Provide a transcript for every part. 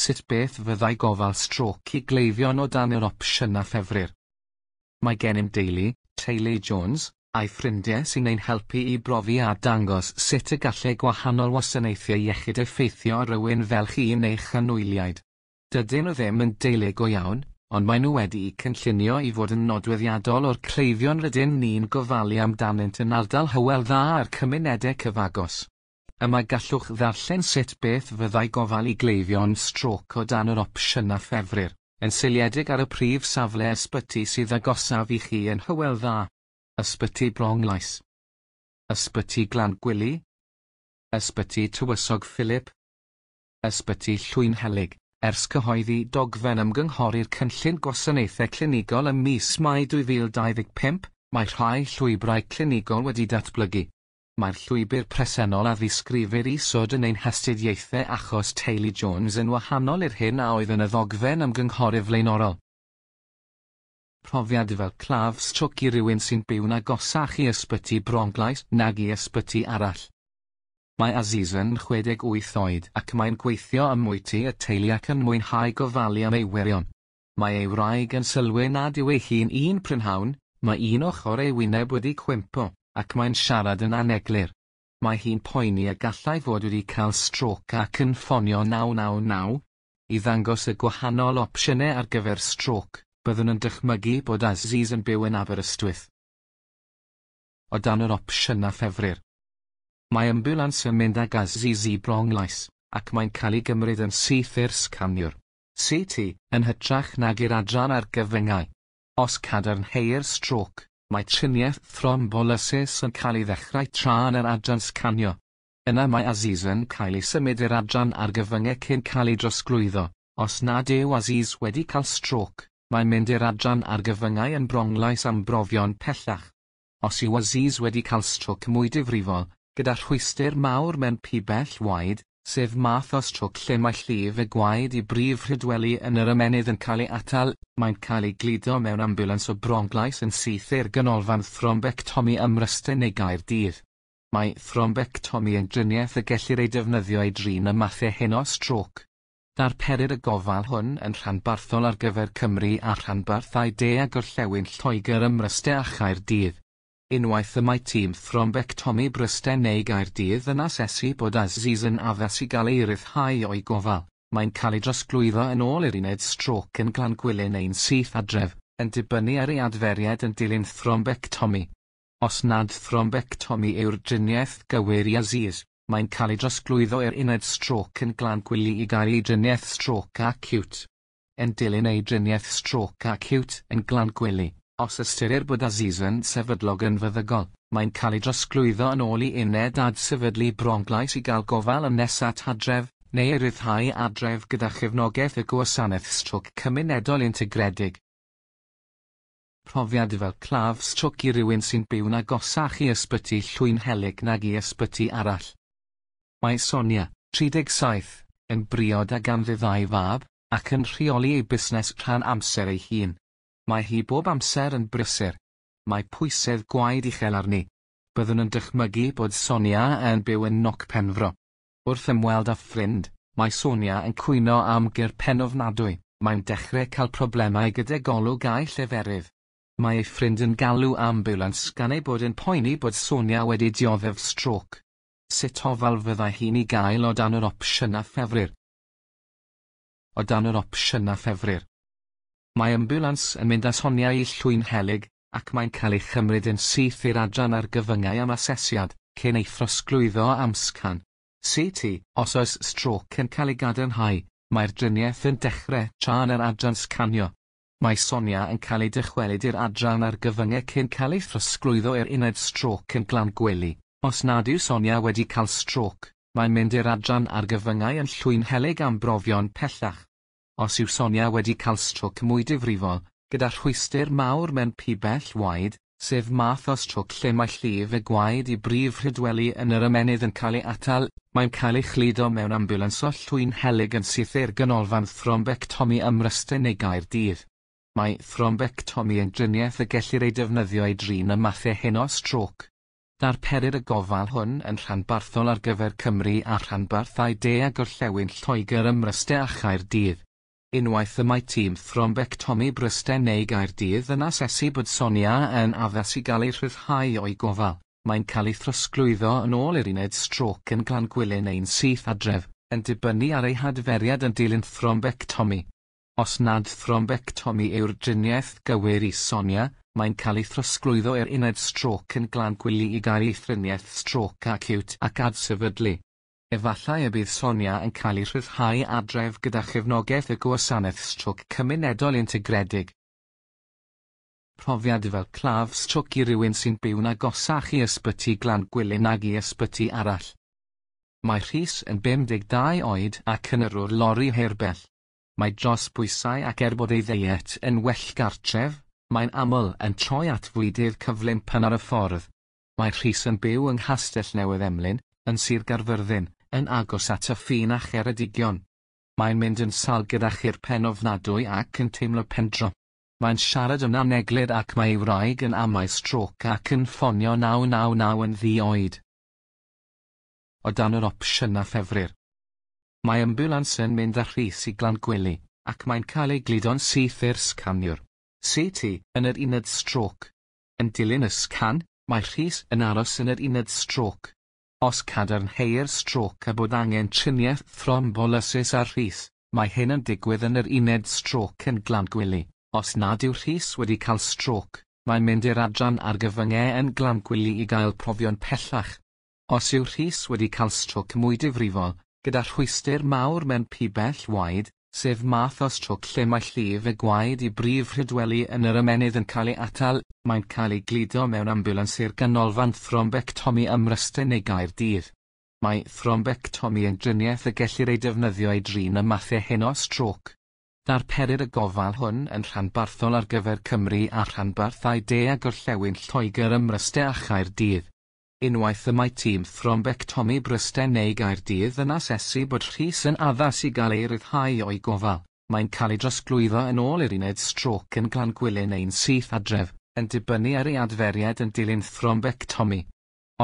Sut beth fyddai gofal strôc i gleifion o dan yr opsiynau ffefrir? Mae gennym deulu, Teulu Jones, a'i ffrindiau sy'n ein helpu i brofi a dangos sut y gallai gwahanol wasanaethau iechyd effeithio ar rywun fel chi neu'ch anwyliaid. Dydyn nhw ddim yn deulu go iawn, ond maen nhw wedi'u cynllunio i fod yn nodweddiadol o'r cleifion rydyn ni'n gofalu amdanynt yn ardal Hywel Dda a'r cymunedau cyfagos. Yma gallwch ddarllen sut beth fyddai gofal i gleifion strôc o dan yr opsiynau ffefrir, yn seiliedig ar y prif safle ysbyty sydd agosaf i chi yn Hywel Dda. Ysbyty Bronglais. Ysbyty Glangwili. Ysbyty Tywysog Philip. Ysbyty Llwynhelyg. Ers cyhoeddi dogfen ymgynghori'r Cynllun Gwasanaethau Clinigol ym mis Mai 2025, mae rhai llwybrau clinigol wedi datblygu. Mae'r llwybr presennol a ddisgrifir isod yn ein hastudiaethau achos Teulu Jones yn wahanol i'r hyn a oedd yn y ddogfen ymgynghori flaenorol. Profiad fel claf strôc i rywun sy'n byw'n agosach i ysbyty Bronglais nag i ysbyty arall. Mae Aziz yn 68 oed ac mae'n gweithio ym mwyty y teulu ac yn mwynhau gofalu am ei wyrion. Mae ei wraig yn sylwi nad yw ei hun un prynhawn, mae un ochr ei wyneb wedi cwympo, ac mae'n siarad yn aneglur. Mae hi'n poeni y gallai fod wedi cael strôc ac yn ffonio 999. I ddangos y gwahanol opsiynau ar gyfer strôc, byddwn yn dychmygu bod Aziz yn byw yn Aberystwyth. O dan yr opsiynau ffefrir. Mae ambiwlans yn mynd ag Aziz i Bronglais, ac mae'n cael ei gymryd yn syth i'r sganiwr. CT, yn hytrach nag i'r adran argyfyngau. Os cadarnheir strôc, mae triniaeth thrombolysis yn cael ei ddechrau tra yn yr adran sganio. Yna mae Aziz yn cael ei symud i'r adran argyfyngau cyn cael ei drosglwyddo. Os nad yw Aziz wedi cael strôc, mae'n mynd i'r adran argyfyngau yn Bronglais am brofion pellach. Os yw Aziz wedi cael strôc mwy difrifol, gyda rhwystr mawr mewn pibell waed, sef math o strôc lle mae llif y gwaed i brif rhydweli yn yr ymennydd yn cael ei atal, mae'n cael ei gludo mewn ambiwlans o Bronglais yn syth i'r ganolfan thrombectomi ym Mryste neu Gaerdydd. Mae thrombectomi yn driniaeth y gellir ei defnyddio i drin y mathau hyn o strôc. Darperir y gofal hwn yn rhanbarthol ar gyfer Cymru a rhanbarthau De a Gorllewin Lloegr ym Mryste a Chaerdydd. Unwaith y mae tîm thrombectomi Bryste neu Gaerdydd yn asesu bod Aziz yn addas i gael ei ryddhau o'i gofal, mae'n cael ei drosglwyddo yn ôl i'r uned strôc yn Glangwili neu'n syth adref, yn dibynnu ar ei adferiad yn dilyn thrombectomi. Os nad thrombectomi yw'r driniaeth gywir i Aziz, mae'n cael ei drosglwyddo i'r uned strôc yn Glangwili i gael ei driniaeth strôc acíwt. Yn dilyn ei driniaeth strôc acíwt yn Glangwili, os ystyrir bod Aziz yn sefydlog yn feddygol, mae'n cael ei drosglwyddo yn ôl i uned adsefydlu Bronglais i gael gofal yn nes at adref, neu ei ryddhau adref gyda chefnogaeth y gwasanaeth strôc cymunedol integredig. Profiad fel claf strôc i rywun sy'n byw'n agosach i ysbyty Llwynhelyg nag i ysbyty arall. Mae Sonia, 37, yn briod a ganddi ddau fab, ac yn rheoli ei busnes rhan amser ei hun. Mae hi bob amser yn brysur. Mae pwysedd gwaed uchel arni. Byddwn yn dychmygu bod Sonia yn byw yn Noc Penfro. Wrth ymweld â ffrind, mae Sonia yn cwyno am gur pen ofnadwy, mae'n dechrau cael problemau gyda golwg a'i lleferydd. Mae ei ffrind yn galw ambiwlans gan ei bod yn poeni bod Sonia wedi dioddef strôc. Sut ofal fyddai hi'n ei gael o dan yr opsiynau ffefrir? O dan yr opsiynau ffefrir. Mae ambiwlans yn mynd â Sonia i Llwynhelyg, ac mae'n cael ei chymryd yn syth i'r adran argyfyngau am asesiad, cyn ei throsglwyddo am sgan. CT, os oes strôc yn cael ei gadarnhau, mae'r driniaeth yn dechrau tra yn yr adran sganio. Mae Sonia yn cael ei dychwelyd i'r adran argyfyngau cyn cael ei throsglwyddo i'r uned strôc yn Glangwili. Os nad yw Sonia wedi cael strôc, mae'n mynd i'r adran argyfyngau yn Llwynhelyg am brofion pellach. Os yw Sonia wedi cael strôc mwy difrifol, gyda rhwystr mawr mewn pibell waed, sef math o strôc lle mae llif y gwaed i brif rhydweli yn yr ymennydd yn cael ei atal, mae'n cael ei chludo mewn ambiwlans o Llwynhelyg yn syth i'r ganolfan thrombectomi ym Mryste neu Gaerdydd. Mae thrombectomi yn driniaeth y gellir ei defnyddio i drin y mathau hyn o strôc. Darperir y gofal hwn yn rhanbarthol ar gyfer Cymru a rhanbarthau De a Gorllewin Lloegr ym Mryste a Chaerdydd. Unwaith y mae tîm thrombectomi Bryste neu Gaerdydd yn asesu bod Sonia yn addas i gael ei rhyddhau o'i gofal, mae'n cael ei throsglwyddo yn ôl i'r uned strôc yn Glangwili neu'n syth adref, yn dibynnu ar ei hadferiad yn dilyn thrombectomi. Os nad thrombectomi yw'r driniaeth gywir i Sonia, mae'n cael ei throsglwyddo i'r uned strôc yn Glangwili i gael ei thriniaeth strôc acíwt ac adsefydlu. Efallai y bydd Sonia yn cael ei rhyddhau adref gyda chefnogaeth y Gwasanaeth Strôc Cymunedol Integredig. Profiad fel claf strôc i rywun sy'n byw'n agosach i Ysbyty Glangwili nag i ysbyty arall. Mae Rhys yn 52 oed ac yn yrrwr lori hirbell. Mae dros bwysau ac er bod ei ddeiet yn well gartref, mae'n aml yn troi at fwydydd cyflym pan ar y ffordd. Mae Rhys yn byw yng Nghastell Newydd Emlyn, yn Sir Gaerfyrddin, yn agos at y ffin â Cheredigion. Mae'n mynd yn sâl gyda chur pen ofnadwy ac yn teimlo pendro. Mae'n siarad yn aneglur ac mae ei wraig yn amau strôc ac yn ffonio 999 yn ddi-oed. O dan yr opsiynau ffefrir. Mae ambiwlans yn mynd â Rhys i Glangwili, ac mae'n cael ei gludo'n syth i'r sganiwr. CT, yn yr uned strôc. Yn dilyn y sgan, mae Rhys yn aros yn yr uned strôc. Os cadarnheir strôc a bod angen triniaeth thrombolysis ar Rhys, mae hyn yn digwydd yn yr uned strôc yn Glangwili. Os nad yw Rhys wedi cael strôc, mae'n mynd i'r adran argyfyngau yn Glangwili i gael profion pellach. Os yw Rhys wedi cael strôc mwy difrifol, gyda rhwystr mawr mewn pibell waed, sef math o strôc lle mae llif y gwaed i brif rhydweli yn yr ymennydd yn cael ei atal, mae'n cael ei gludo mewn ambiwlans i'r ganolfan thrombectomi ym Mryste neu Gaerdydd. Mae thrombectomi yn driniaeth y gellir ei defnyddio i drin y mathau hyn o strôc. Darperir y gofal hwn yn rhanbarthol ar gyfer Cymru a rhanbarthau De a Gorllewin Lloegr ym Mryste a Chaerdydd. Unwaith y mae tîm thrombectomi Bryste neu Gaerdydd yn asesu bod Rhys yn addas i gael ei ryddhau o'i gofal, mae'n cael ei drosglwyddo yn ôl i'r uned strôc yn Glangwili neu'n syth adref, yn dibynnu ar ei adferiad yn dilyn thrombectomi.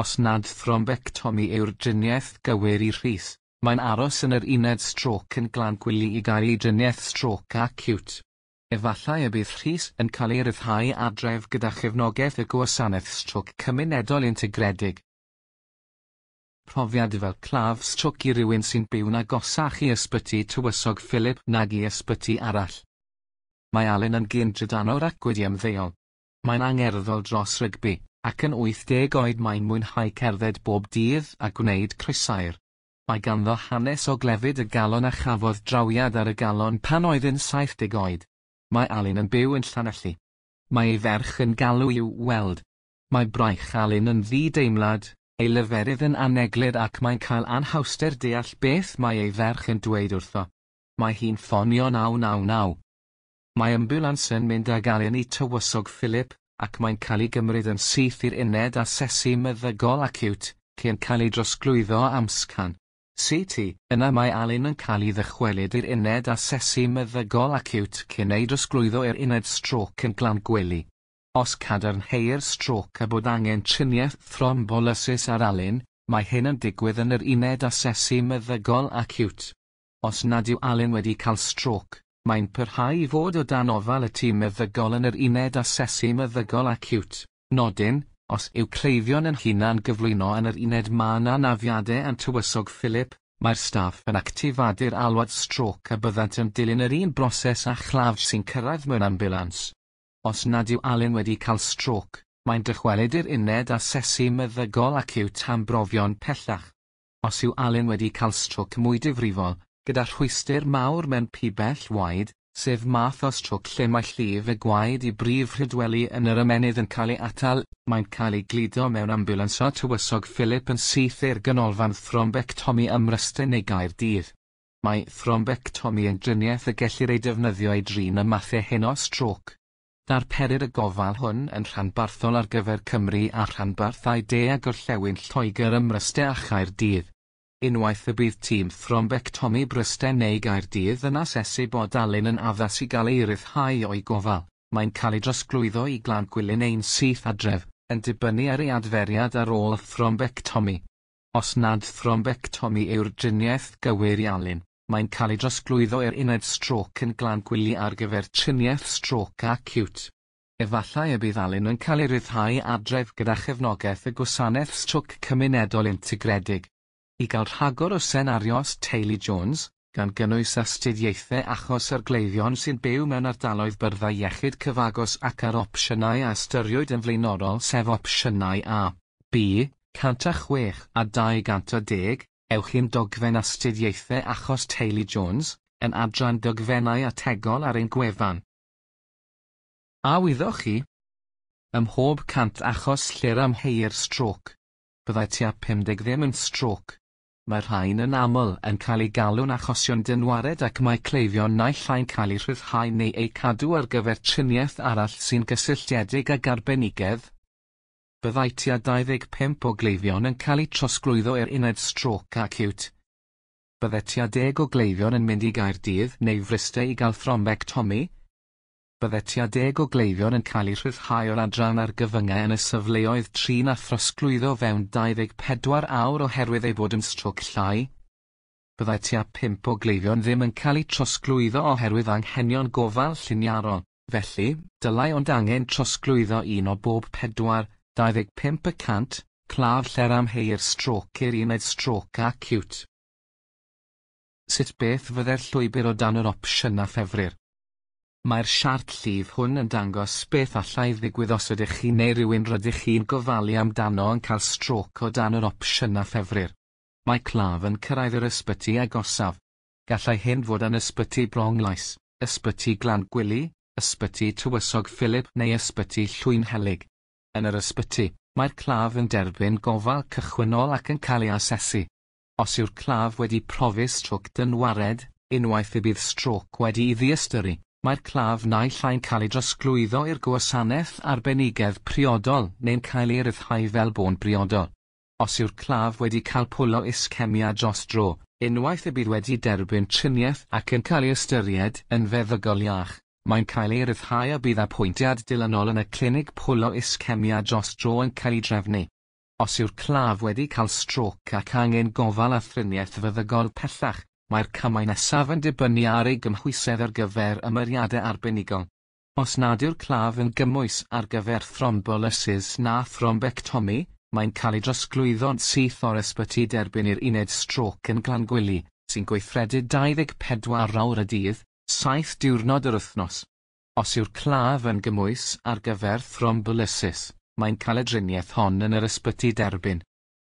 Os nad thrombectomi yw'r driniaeth gywir i Rhys, mae'n aros yn yr uned strôc yn Glangwili i gael ei driniaeth strôc acíwt. Efallai y bydd Rhys yn cael ei ryddhau adref gyda chefnogaeth y Gwasanaeth Strôc Cymunedol Integredig. Profiad fel claf strôc i rywun sy'n byw'n agosach i Ysbyty Tywysog Philip nag i ysbyty arall. Mae Alun yn gyn-drydanwr ac wedi ymddeol. Mae'n angerddol dros rygbi, ac yn 80 oed mae'n mwynhau cerdded bob dydd a gwneud croesair. Mae ganddo hanes o glefyd y galon a chafodd drawiad ar y galon pan oedd yn 70 oed. Mae Alun yn byw yn Llanelli. Mae ei ferch yn galw i'w weld. Mae braich Alun yn ddi-deimlad, ei leferydd yn aneglur ac mae'n cael anhawster deall beth mae ei ferch yn dweud wrtho. Mae hi'n ffonio 999. Mae ambiwlans yn mynd ag Alun i Tywysog Philip, ac mae'n cael ei gymryd yn syth i'r uned asesu meddygol acíwt, cyn cael ei drosglwyddo am sgan. CT, yna mae Alun yn cael ei ddychwelyd i'r uned asesu meddygol acíwt cyn ei drosglwyddo i'r uned strôc yn Glangwili. Os cadarnheir strôc a bod angen triniaeth thrombolysis ar Alun, mae hyn yn digwydd yn yr uned asesu meddygol acíwt. Os nad yw Alun wedi cael strôc, mae'n parhau i fod o dan ofal y tîm meddygol yn yr uned asesu meddygol acíwt. Nodyn, os yw cleifion yn hunan gyflwyno yn yr uned mân anafiadau yn Tywysog Philip, mae'r staff yn actifadu'r alwad strôc a byddant yn dilyn yr un broses â chlaf sy'n cyrraedd mewn ambiwlans. Os nad yw Alun wedi cael strôc, mae'n dychwelyd i'r uned asesu meddygol acíwt am brofion pellach. Os yw Alun wedi cael strôc mwy difrifol, gyda rhwystr mawr mewn pibell waed, sef math o strôc lle mae llif y gwaed i brif rhydweli yn yr ymennydd yn cael ei atal, mae'n cael ei gludo mewn ambiwlans o Tywysog Philip yn syth i'r ganolfan thrombectomi ym Mryste neu Gaerdydd. Mae thrombectomi yn driniaeth y gellir ei defnyddio i drin y mathau hyn o strôc. Darperir y gofal hwn yn rhanbarthol ar gyfer Cymru a rhanbarthau De a Gorllewin Lloegr ym Mryste a Chaerdydd. Unwaith y bydd tîm thrombectomi Bryste neu Gaerdydd yn asesu bod Alun yn addas i gael ei ryddhau o'i gofal, mae'n cael ei drosglwyddo i Glangwili neu'n syth adref, yn dibynnu ar ei adferiad ar ôl thrombectomi. Os nad thrombectomi yw'r driniaeth gywir i Alun, mae'n cael ei drosglwyddo i'r uned strôc yn Glangwili ar gyfer triniaeth strôc acíwt. Efallai y bydd Alun yn cael ei ryddhau adref gyda chefnogaeth y Gwasanaeth Strôc Cymunedol Integredig. I gael rhagor o senarios teulu Jones, gan gynnwys astudiaethau achos ar gleifion sy'n byw mewn ardaloedd byrddau iechyd cyfagos ac ar opsiynau a ystyriwyd yn flaenorol sef opsiynau A, B, 106 a 210, ewch i'n dogfen astudiaethau achos teulu Jones, yn adran dogfennau ategol ar ein gwefan. A wyddoch chi? Ym mhob 100 achos lle'r amheuir strôc, byddai tua 50 ddim yn strôc. Mae'r rhain yn aml yn cael eu galw'n achosion dynwared ac mae cleifion naill ai'n cael eu rhyddhau neu eu cadw ar gyfer triniaeth arall sy'n gysylltiedig ag arbenigedd. Byddai tua 25 o gleifion yn cael eu trosglwyddo i'r uned strôc acíwt. Byddai tua 10 o gleifion yn mynd i Gaerdydd neu Fryste i gael thrombectomi. Byddai tua 10 o gleifion yn cael eu rhyddhau o'r adran argyfyngau yn y safleoedd trin a throsglwyddo fewn 24 awr oherwydd ei bod yn strôc llai. Byddai tua 5 o gleifion ddim yn cael eu trosglwyddo oherwydd anghenion gofal lliniarol, felly, dylai ond angen trosglwyddo un o bob 4, 25%, claf lle'r amheuir strôc i'r uned strôc acíwt. Sut beth fyddai'r llwybr o dan yr opsiynau ffefrir? Mae'r siart llif hwn yn dangos beth allai ddigwydd os ydych chi neu rywun rydych chi'n gofalu amdano yn cael strôc o dan yr opsiynau ffefrir. Mae claf yn cyrraedd yr ysbyty agosaf. Gallai hyn fod yn Ysbyty Bronglais, Ysbyty Glangwili, Ysbyty Tywysog Philip neu Ysbyty Llwynhelyg. Yn yr ysbyty, mae'r claf yn derbyn gofal cychwynnol ac yn cael ei asesu. Os yw'r claf wedi profi strôc dynwared, unwaith y bydd strôc wedi'i ddiystyru, mae'r claf naill ai'n cael ei drosglwyddo i'r gwasanaeth arbenigedd priodol neu'n cael ei ryddhau fel bo'n briodol. Os yw'r claf wedi cael pwlo iscemia dros dro, unwaith y bydd wedi derbyn triniaeth ac yn cael ei ystyried yn feddygol iach, mae'n cael ei ryddhau a bydd apwyntiad dilynol yn y clinig pwlo iscemia dros dro yn cael ei drefnu. Os yw'r claf wedi cael strôc ac angen gofal a thriniaeth feddygol pellach, mae'r camau nesaf yn dibynnu ar ei gymhwysedd ar gyfer ymyriadau arbenigol. Os nad yw'r claf yn gymwys ar gyfer thrombolysis na thrombectomi, mae'n cael ei drosglwyddo'n syth o'r ysbyty derbyn i'r uned strôc yn Glangwili, sy'n gweithredu 24 awr y dydd, 7 diwrnod yr wythnos. Os yw'r claf yn gymwys ar gyfer thrombolysis, mae'n cael y driniaeth hon yn yr ysbyty derbyn.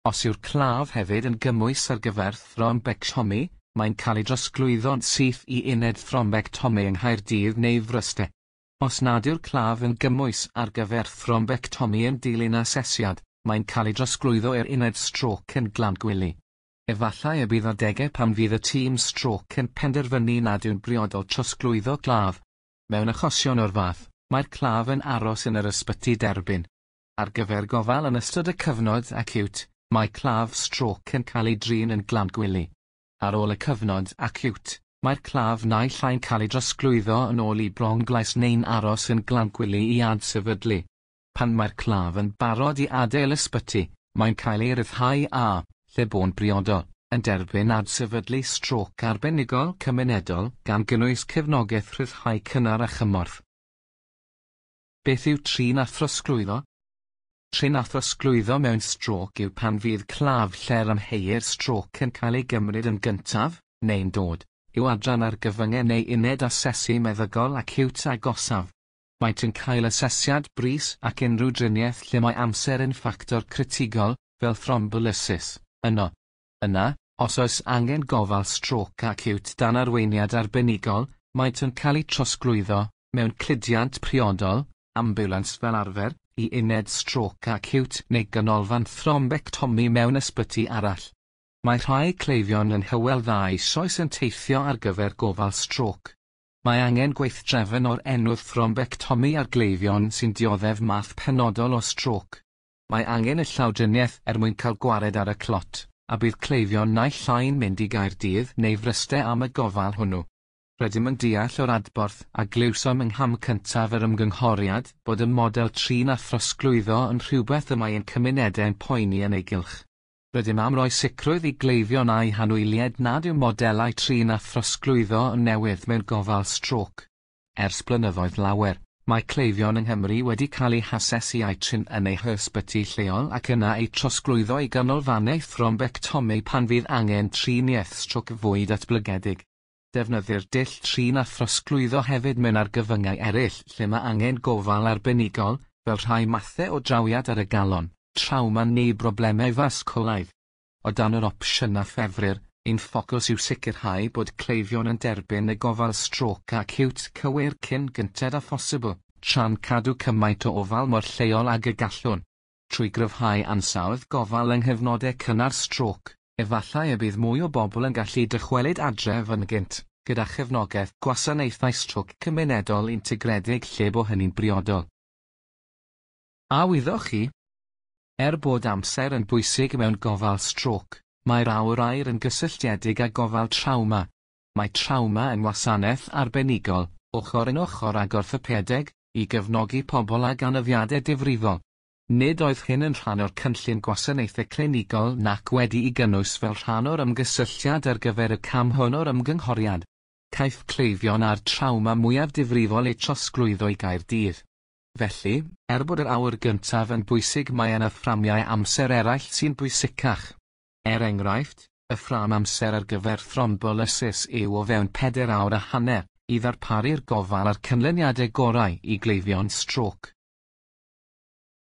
Os yw'r claf hefyd yn gymwys ar gyfer thrombectomi, mae'n cael ei drosglwyddo'n syth i uned thrombectomi yng Nghaerdydd neu Fryste. Os nad yw'r claf yn gymwys ar gyfer thrombectomi yn dilyn asesiad, mae'n cael ei drosglwyddo i'r uned strôc yn Glangwili. Efallai y bydd adegau pan fydd y tîm strôc yn penderfynu nad yw'n briodol trosglwyddo claf. Mewn achosion o'r fath, mae'r claf yn aros yn yr ysbyty derbyn. Ar gyfer gofal yn ystod y cyfnod acíwt, mae claf strôc yn cael ei drin yn Glangwili. Ar ôl y cyfnod acíwt, mae'r claf naill ai'n cael ei drosglwyddo yn ôl i Bronglais neu'n aros yn Glangwili i adsefydlu. Pan mae'r claf yn barod i adael ysbyty, mae'n cael ei ryddhau a, lle bo'n briodol, yn derbyn adsefydlu strôc arbenigol cymunedol gan gynnwys cefnogaeth rhyddhau cynnar a chymorth. Beth yw trin a throsglwyddo? Trin a throsglwyddo mewn strôc yw pan fydd claf lle'r amheuir strôc yn cael ei gymryd yn gyntaf, neu'n dod, i'w adran argyfyngau neu uned asesu meddygol acíwt agosaf. Maent yn cael asesiad brys ac unrhyw driniaeth lle mae amser yn ffactor critigol, fel thrombolysis, yno. Yna, os oes angen gofal strôc acíwt dan arweiniad arbenigol, maent yn cael eu trosglwyddo, mewn cludiant priodol, ambiwlans fel arfer, i uned strôc acíwt neu ganolfan thrombectomi mewn ysbyty arall. Mae rhai cleifion yn Hywel Dda eisoes yn teithio ar gyfer gofal strôc. Mae angen gweithdrefn o'r enw thrombectomi ar gleifion sy'n dioddef math penodol o strôc. Mae angen y llawdriniaeth er mwyn cael gwared ar y clot, a bydd cleifion naill ai'n mynd i Gaerdydd neu Fryste am y gofal hwnnw. Rydym yn deall o'r adborth a glywsom yng ngham cyntaf yr ymgynghoriad bod y model trin a throsglwyddo yn rhywbeth y mae ein cymunedau'n poeni yn ei gylch. Rydym am roi sicrwydd i gleifion a'u hanwyliaid nad yw modelau trin a throsglwyddo yn newydd mewn gofal strôc. Ers blynyddoedd lawer, mae cleifion yng Nghymru wedi cael eu hasesu a'u trin yn eu hysbyty lleol ac yna eu trosglwyddo i ganolfannau thrombectomi pan fydd angen triniaeth strôc fwy datblygedig. Defnyddir dull trin a throsglwyddo hefyd mewn argyfyngau eraill lle mae angen gofal arbenigol, fel rhai mathau o drawiad ar y galon, trawma neu broblemau fasgwlaidd. O dan yr opsiynau ffefrir, ein ffocws yw sicrhau bod cleifion yn derbyn y gofal strôc acíwt cywir cyn gynted â phosibl, tra'n cadw cymaint o ofal mor lleol ag y gallwn. Trwy gryfhau ansawdd gofal yng nghyfnodau cynnar strôc, efallai y bydd mwy o bobl yn gallu dychwelyd adref yn gynt, gyda chefnogaeth gwasanaethau strôc cymunedol integredig lle bo hynny'n briodol. A wyddoch chi? Er bod amser yn bwysig mewn gofal strôc, mae'r awr aur yn gysylltiedig â gofal trawma. Mae trawma yn wasanaeth arbenigol, ochr yn ochr ag orthopedeg, i gefnogi pobl ag anafiadau difrifol. Nid oedd hyn yn rhan o'r cynllun gwasanaethau clinigol nac wedi'i gynnwys fel rhan o'r ymgysylltiad ar gyfer y cam hwn o'r ymgynghoriad. Caiff cleifion â'r trawma mwyaf difrifol eu trosglwyddo i Gaerdydd. Felly, er bod yr awr gyntaf yn bwysig, mae yna fframiau amser eraill sy'n bwysicach. Er enghraifft, y ffrâm amser ar gyfer thrombolysis yw o fewn 4 awr a hanner, i ddarparu'r gofal a'r canlyniadau gorau i gleifion strôc.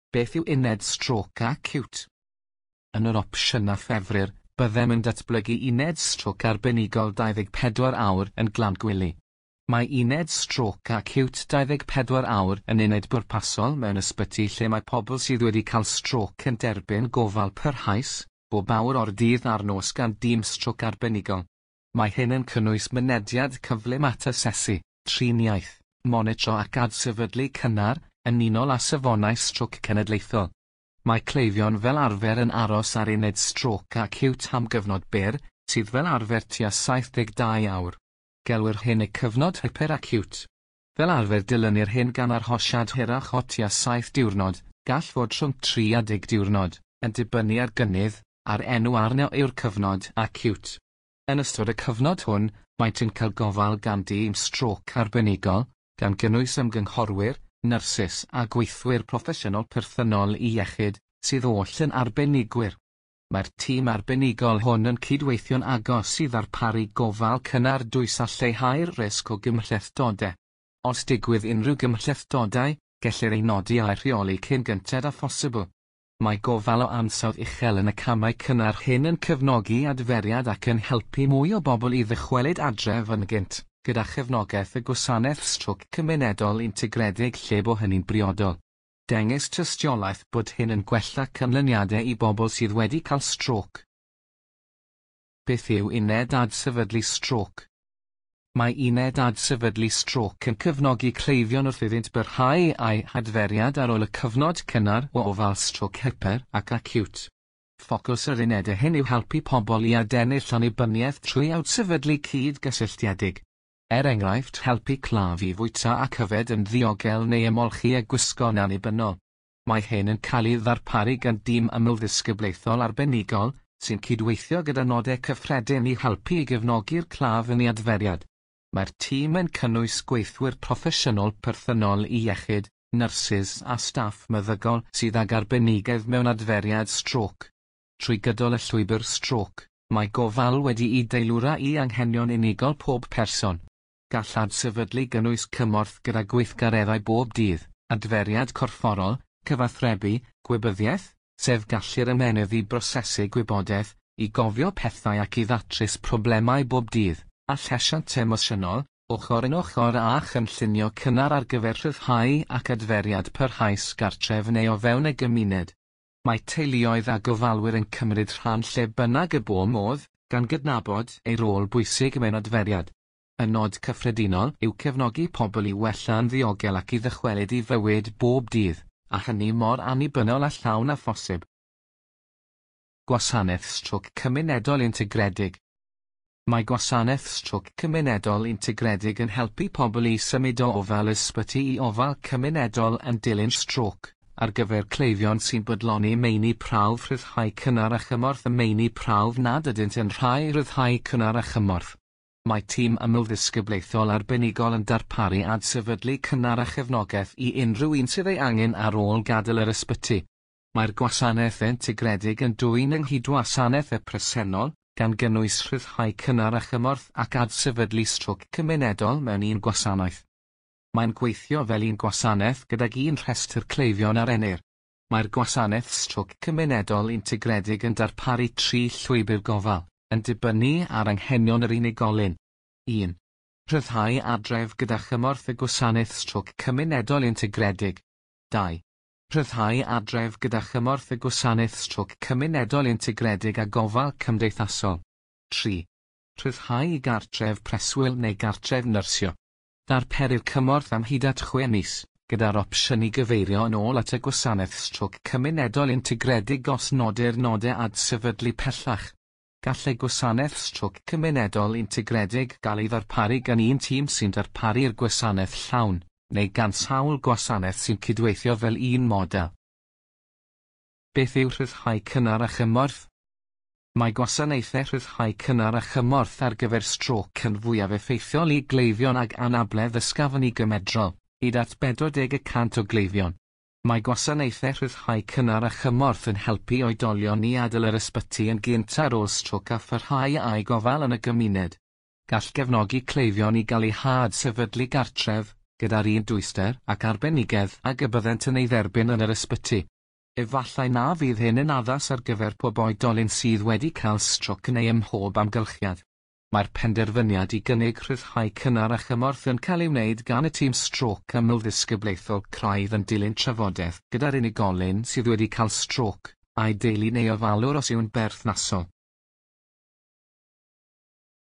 Beth yw uned strôc acíwt? Yn yr opsiynau ffefrir, byddem yn datblygu uned strôc arbenigol 24 awr yn Glangwili. Mae uned strôc acíwt 24 awr yn uned bwrpasol mewn ysbyty lle mae pobl sydd wedi cael strôc yn derbyn gofal parhaus, bob awr o'r dydd a'r nos gan dîm strôc arbenigol. Mae hyn yn cynnwys mynediad cyflym at asesu, triniaeth, monitro ac adsefydlu cynnar, yn unol â safonau strôc cenedlaethol. Mae cleifion fel arfer yn aros ar uned strôc acíwt am gyfnod byr, sydd fel arfer tua 72 awr. Gelwir hyn y cyfnod hyperacíwt. Fel arfer dilynir hyn gan arhosiad hirach o tua 7 diwrnod, gall fod rhwng 3 a 10 diwrnod, yn dibynnu ar gynnydd, a'r enw arno yw'r cyfnod acíwt. Yn ystod y cyfnod hwn, maent yn cael gofal gan dîm strôc arbenigol, gan gynnwys ymgynghorwyr, nyrsys a gweithwyr proffesiynol perthynol i iechyd, sydd oll yn arbenigwyr. Mae'r tîm arbenigol hwn yn cydweithio'n agos i ddarparu gofal cynnar dwys a lleihau'r risg o gymhlethdodau. Os digwydd unrhyw gymhlethdodau, gellir ei nodi a'i rheoli cyn gynted â phosibl. Mae gofal o ansawdd uchel yn y camau cynnar hyn yn cefnogi adferiad ac yn helpu mwy o bobl i ddychwelyd adref yn gynt, gyda chefnogaeth y gwasanaeth strôc cymunedol integredig lle bo hynny'n briodol. Dengys tystiolaeth bod hyn yn gwella canlyniadau i bobl sydd wedi cael strôc. Beth yw uned adsefydlu strôc? Mae uned adsefydlu strôc yn cefnogi cleifion wrth iddynt barhau â'u hadferiad ar ôl y cyfnod cynnar o ofal strôc hyper ac acíwt. Ffocws yr unedau hyn yw helpu pobl i adennill annibyniaeth trwy adsefydlu cyd-gysylltiedig. Er enghraifft, helpu claf i fwyta ac yfed yn ddiogel neu ymolchi a gwisgo'n annibynnol. Mae hyn yn cael ei ddarparu gan dîm amlddisgyblaethol arbenigol, sy'n cydweithio gyda nodau cyffredin i helpu i gefnogi'r claf yn ei adferiad. Mae'r tîm yn cynnwys gweithwyr proffesiynol perthynol i iechyd, nyrsys a staff meddygol sydd ag arbenigedd mewn adferiad strôc. Trwy gydol y llwybr strôc, mae gofal wedi'i deilwra i anghenion unigol pob person. Gall adsefydlu gynnwys cymorth gyda gweithgareddau bob dydd, adferiad corfforol, cyfathrebu, gwybyddiaeth, sef gallu'r ymennydd i brosesu gwybodaeth, i gofio pethau ac i ddatrys problemau bob dydd, a llesiant emosiynol, ochr yn ochr â chynllunio cynnar ar gyfer rhyddhau ac adferiad parhaus gartref neu o fewn y gymuned. Mae teuluoedd a gofalwyr yn cymryd rhan lle bynnag y bo modd, gan gydnabod eu rôl bwysig mewn adferiad. Y nod cyffredinol yw cefnogi pobl i wella'n ddiogel ac i ddychwelyd i fywyd bob dydd, a hynny mor annibynnol a llawn â phosib. Gwasanaeth strôc cymunedol integredig. Mae gwasanaeth strôc cymunedol integredig yn helpu pobl i symud o ofal ysbyty i ofal cymunedol yn dilyn strôc, ar gyfer cleifion sy'n bodloni meini prawf rhyddhau cynnar a chymorth a meini prawf nad ydynt yn rhai rhyddhau cynnar a chymorth. Mae tîm amlddisgyblaethol arbenigol yn darparu adsefydlu cynnar a chefnogaeth i unrhyw un sydd ei angen ar ôl gadael yr ysbyty. Mae'r gwasanaeth integredig yn dwyn ynghyd wasanaeth y presennol, gan gynnwys rhyddhau cynnar a chymorth ac adsefydlu strôc cymunedol mewn un gwasanaeth. Mae'n gweithio fel un gwasanaeth gydag un rhestr cleifion a rennir. Mae'r gwasanaeth strôc cymunedol integredig yn darparu tri llwybr gofal, yn dibynnu ar anghenion yr unigolyn. 1. Rhyddhau adref gyda chymorth y gwasanaeth strôc cymunedol integredig. 2. Rhyddhau adref gyda chymorth y gwasanaeth strôc cymunedol integredig a gofal cymdeithasol. 3. Rhyddhau i gartref preswyl neu gartref nyrsio. Darperir cymorth am hyd at 6 mis, gyda'r opsiwn i gyfeirio yn ôl at y gwasanaeth strôc cymunedol integredig os nodir nodau adsefydlu pellach. Gall y gwasanaeth strôc cymunedol integredig gael ei ddarparu gan un tîm sy'n darparu'r gwasanaeth llawn, neu gan sawl gwasanaeth sy'n cydweithio fel un model. Beth yw rhyddhau cynnar a chymorth? Mae gwasanaethau rhyddhau cynnar a chymorth ar gyfer strôc yn fwyaf effeithiol i gleifion ag anabledd ysgafn i gymedrol, hyd at 40% o gleifion. Mae gwasanaethau rhyddhau cynnar a chymorth yn helpu oedolion i adael yr ysbyty yn gynt ar ôl strôc a pharhau â'u gofal yn y gymuned. Gall gefnogi cleifion i gael eu hadsefydlu gartref, gyda'r un dwyster ac arbenigedd ag y byddent yn ei dderbyn yn yr ysbyty. Efallai na fydd hyn yn addas ar gyfer pob oedolyn sydd wedi cael strôc neu ym mhob amgylchiad. Mae'r penderfyniad i gynnig rhyddhau cynnar a chymorth yn cael ei wneud gan y tîm strôc amlddisgyblaethol craidd yn dilyn trafodaeth gyda'r unigolyn sydd wedi cael strôc, a'i deulu neu ofalwr os yw'n berthnasol.